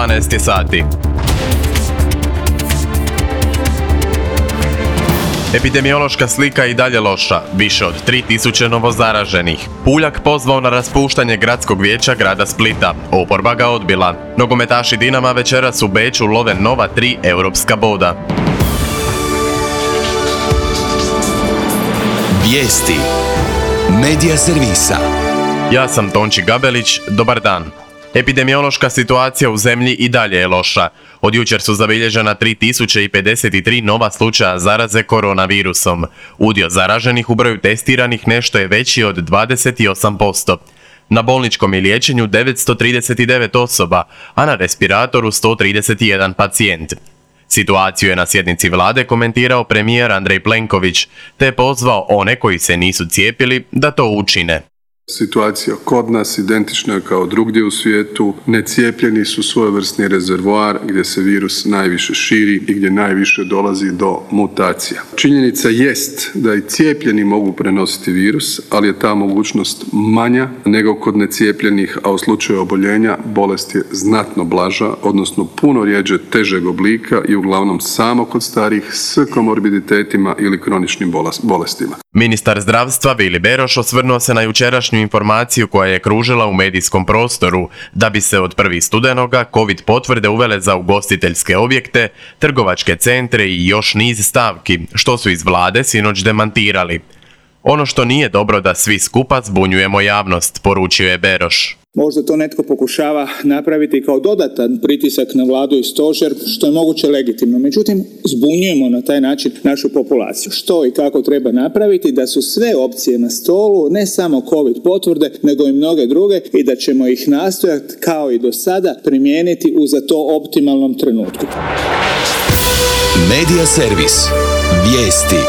12 sati. Epidemiološka slika je i dalje loša, više od 3000 novozaraženih. Puljak pozvao na raspuštanje gradskog vijeća grada Splita, oporba ga odbila. Nogometaši Dinama večeras u Beču love nova 3 europska boda. Vijesti Medija servisa. Ja sam Tonči Gabelić, dobar dan. Epidemiološka situacija u zemlji i dalje je loša. Od jučer su zabilježena 3053 nova slučaja zaraze koronavirusom. Udio zaraženih u broju testiranih nešto je veći od 28%. Na bolničkom je liječenju 939 osoba, a na respiratoru 131 pacijent. Situaciju je na sjednici vlade komentirao premijer Andrej Plenković, te je pozvao one koji se nisu cijepili da to učine. Situacija kod nas identična je kao drugdje u svijetu. Necijepljeni su svojevrsni rezervoar gdje se virus najviše širi i gdje najviše dolazi do mutacija. Činjenica jest da i cijepljeni mogu prenositi virus, ali je ta mogućnost manja nego kod necijepljenih, a u slučaju oboljenja bolest je znatno blaža, odnosno puno rjeđe težeg oblika i uglavnom samo kod starih s komorbiditetima ili kroničnim bolestima. Ministar zdravstva Vili Beroš osvrnuo se na jučerašnju informaciju koja je kružila u medijskom prostoru da bi se od 1. studenoga COVID potvrde uvele za ugostiteljske objekte, trgovačke centre i još niz stavki, što su iz vlade sinoć demantirali. Ono što nije dobro da svi skupa zbunjujemo javnost, poručio je Beroš. Možda to netko pokušava napraviti kao dodatan pritisak na vladu i stožer, što je moguće legitimno. Međutim, zbunjujemo na taj način našu populaciju. Što i kako treba napraviti da su sve opcije na stolu, ne samo COVID potvrde, nego i mnoge druge i da ćemo ih nastojati kao i do sada primijeniti u za to optimalnom trenutku. Medija servis. Vijesti.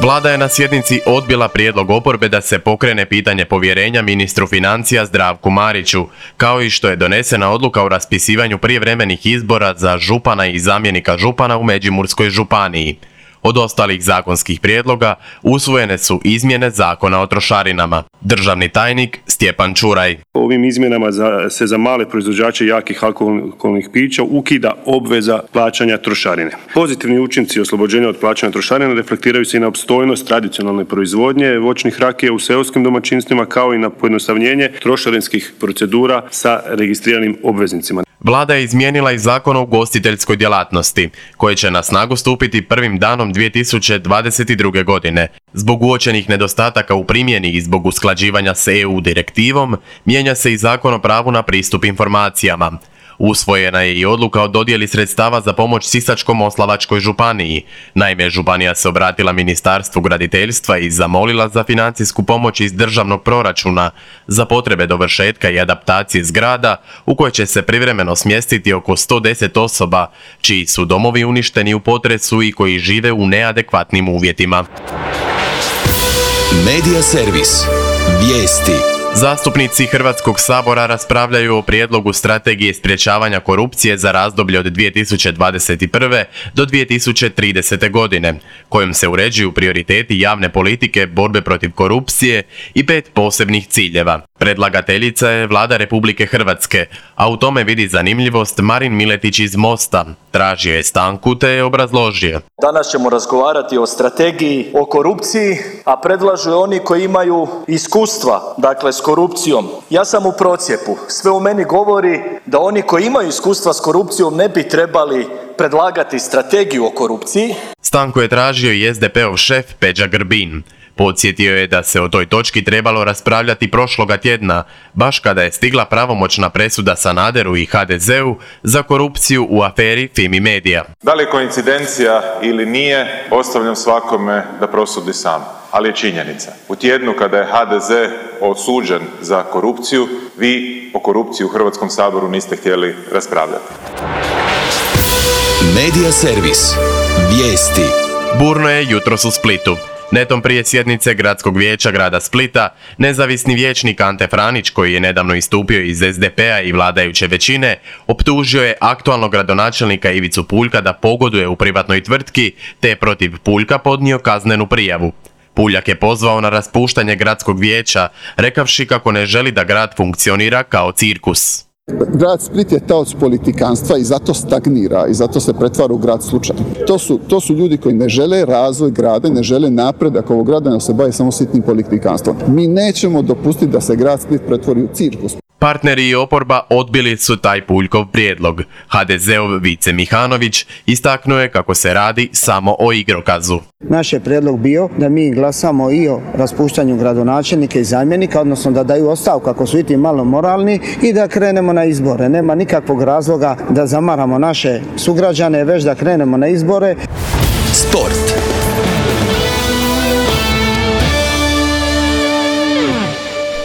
Vlada je na sjednici odbila prijedlog oporbe da se pokrene pitanje povjerenja ministru financija Zdravku Mariću, kao i što je donesena odluka o raspisivanju prijevremenih izbora za župana i zamjenika župana u Međimurskoj županiji. Od ostalih zakonskih prijedloga usvojene su izmjene Zakona o trošarinama. Državni tajnik Stjepan Čuraj. Ovim izmjenama se za male proizvođače jakih alkoholnih pića ukida obveza plaćanja trošarine. Pozitivni učinci oslobođenja od plaćanja trošarine reflektiraju se i na opstojnost tradicionalne proizvodnje voćnih rakija u seoskim domaćinstvima, kao i na pojednostavljenje trošarinskih procedura sa registriranim obveznicima. Vlada je izmijenila i Zakon o ugostiteljskoj djelatnosti, koji će na snagu stupiti prvim danom 2022. godine. Zbog uočenih nedostataka u primjeni i zbog usklađivanja s EU direktivom, mijenja se i Zakon o pravu na pristup informacijama. Usvojena je i odluka o dodjeli sredstava za pomoć Sisačko-moslavačkoj županiji. Naime, županija se obratila Ministarstvu graditeljstva i zamolila za financijsku pomoć iz državnog proračuna za potrebe dovršetka i adaptacije zgrada u koje će se privremeno smjestiti oko 110 osoba, čiji su domovi uništeni u potresu i koji žive u neadekvatnim uvjetima. Medija servis. Vijesti. Zastupnici Hrvatskog sabora raspravljaju o prijedlogu strategije sprječavanja korupcije za razdoblje od 2021. do 2030. godine, kojom se uređuju prioriteti javne politike borbe protiv korupcije i 5 posebnih ciljeva. Predlagateljica je Vlada Republike Hrvatske, a u tome vidi zanimljivost Marin Miletić iz Mosta. Tražio je stanku te je obrazložio. Danas ćemo razgovarati o strategiji o korupciji, a predlažu je oni koji imaju iskustva, dakle s korupcijom. Ja sam u procjepu. Sve u meni govori da oni koji imaju iskustva s korupcijom ne bi trebali predlagati strategiju o korupciji. Stanku je tražio i SDP-ov šef Peđa Grbin. Podsjetio je da se o toj točki trebalo raspravljati prošloga tjedna, baš kada je stigla pravomoćna presuda Sanaderu i HDZ-u za korupciju u aferi Fimi Media. Da li je koincidencija ili nije, ostavljam svakome da prosudi sam, ali je činjenica. U tjednu kada je HDZ osuđen za korupciju, vi o korupciji u Hrvatskom saboru niste htjeli raspravljati. Medija servis. Vijesti. Burno je jutros u Splitu. Netom prije sjednice Gradskog vijeća grada Splita, nezavisni vijećnik Ante Franić, koji je nedavno istupio iz SDP-a i vladajuće većine, optužio je aktualnog gradonačelnika Ivicu Puljka da pogoduje u privatnoj tvrtki, te je protiv Puljka podnio kaznenu prijavu. Puljak je pozvao na raspuštanje gradskog vijeća, rekavši kako ne želi da grad funkcionira kao cirkus. Grad Split je taoc politikanstva i zato stagnira i zato se pretvara u grad slučaja. To su ljudi koji ne žele razvoj grada, ne žele napredak ovog grada, nego se bave samo sitnim politikanstvom. Mi nećemo dopustiti da se grad Split pretvori u cirkus. Partneri i oporba odbili su taj Puljkov prijedlog. HDZ-ov Vice Mihanović istaknuo je kako se radi samo o igrokazu. Naš je prijedlog bio da mi glasamo i o raspuštanju gradonačelnika i zamjenika, odnosno da daju ostavku ako su i ti malo moralni i da krenemo na izbore. Nema nikakvog razloga da zamaramo naše sugrađane, već da krenemo na izbore. Sport.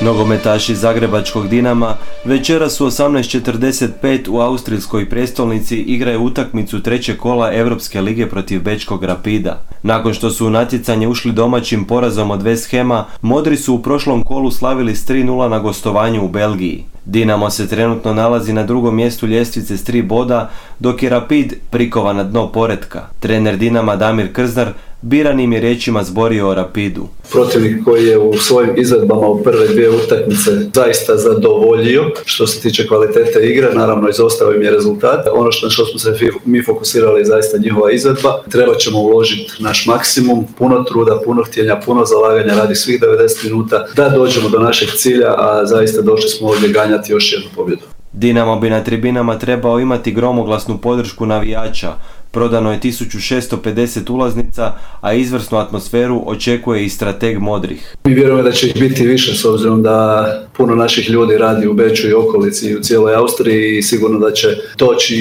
Nogometaši zagrebačkog Dinama večeras u 18:45 u austrijskoj prijestolnici igraju utakmicu trećeg kola Europske lige protiv Bečkog Rapida. Nakon što su u natjecanje ušli domaćim porazom od West Hama, Modri su u prošlom kolu slavili s 3:0 na gostovanju u Belgiji. Dinamo se trenutno nalazi na drugom mjestu ljestvice s 3 boda, dok je Rapid prikovan na dno poretka. Trener Dinama Damir Krznar biranim je riječima zborio o Rapidu. Protivnik koji je u svojim izvedbama u prve dvije utakmice zaista zadovoljio što se tiče kvalitete igre, naravno izostao im je rezultat. Ono što smo se mi fokusirali je zaista njihova izvedba. Treba ćemo uložiti naš maksimum, puno truda, puno htjenja, puno zalaganja radi svih 90 minuta da dođemo do našeg cilja, a zaista došli smo ovdje ganjati još jednu pobjedu. Dinamo bi na tribinama trebao imati gromoglasnu podršku navijača. Prodano je 1650 ulaznica, a izvrsnu atmosferu očekuje i strateg Modrih. Mi vjerujemo da će ih biti više s obzirom da puno naših ljudi radi u Beču i okolici i u cijeloj Austriji i sigurno da će doći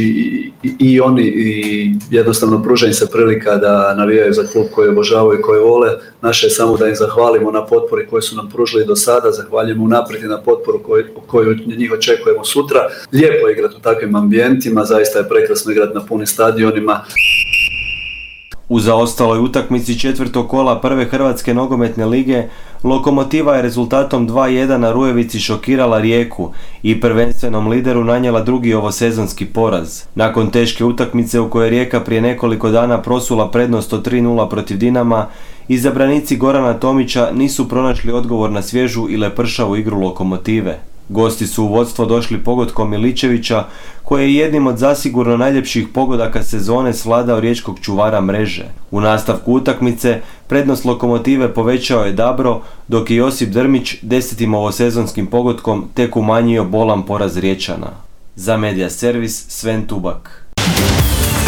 i oni i jednostavno pruža im se prilika da navijaju za klub koji obožavaju i koji vole. Naše je samo da im zahvalimo na potpori koju su nam pružili do sada, zahvaljujemo unaprijed i na potporu koju njih očekujemo sutra. Lijepo je igrati u takvim ambijentima, zaista je prekrasno igrati na punim stadionima. U zaostaloj utakmici četvrtog kola prve Hrvatske nogometne lige Lokomotiva je rezultatom 2:1 na Rujevici šokirala Rijeku i prvenstvenom lideru nanijela drugi ovosezonski poraz. Nakon teške utakmice u kojoj je Rijeka prije nekoliko dana prosula prednost od 3:0 protiv Dinama, izabranici Gorana Tomića nisu pronašli odgovor na svježu i lepršavu igru Lokomotive. Gosti su u vodstvo došli pogodkom Miličevića, koji je jednim od zasigurno najljepših pogodaka sezone svladao riječkog čuvara mreže. U nastavku utakmice prednost Lokomotive povećao je Dabro, dok je Josip Drmić 10. ovosezonskim pogodkom tek umanjio bolan poraz Riječana. Za Media Servis Sven Tubak.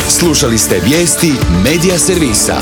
Slušali ste vijesti Media Servisa.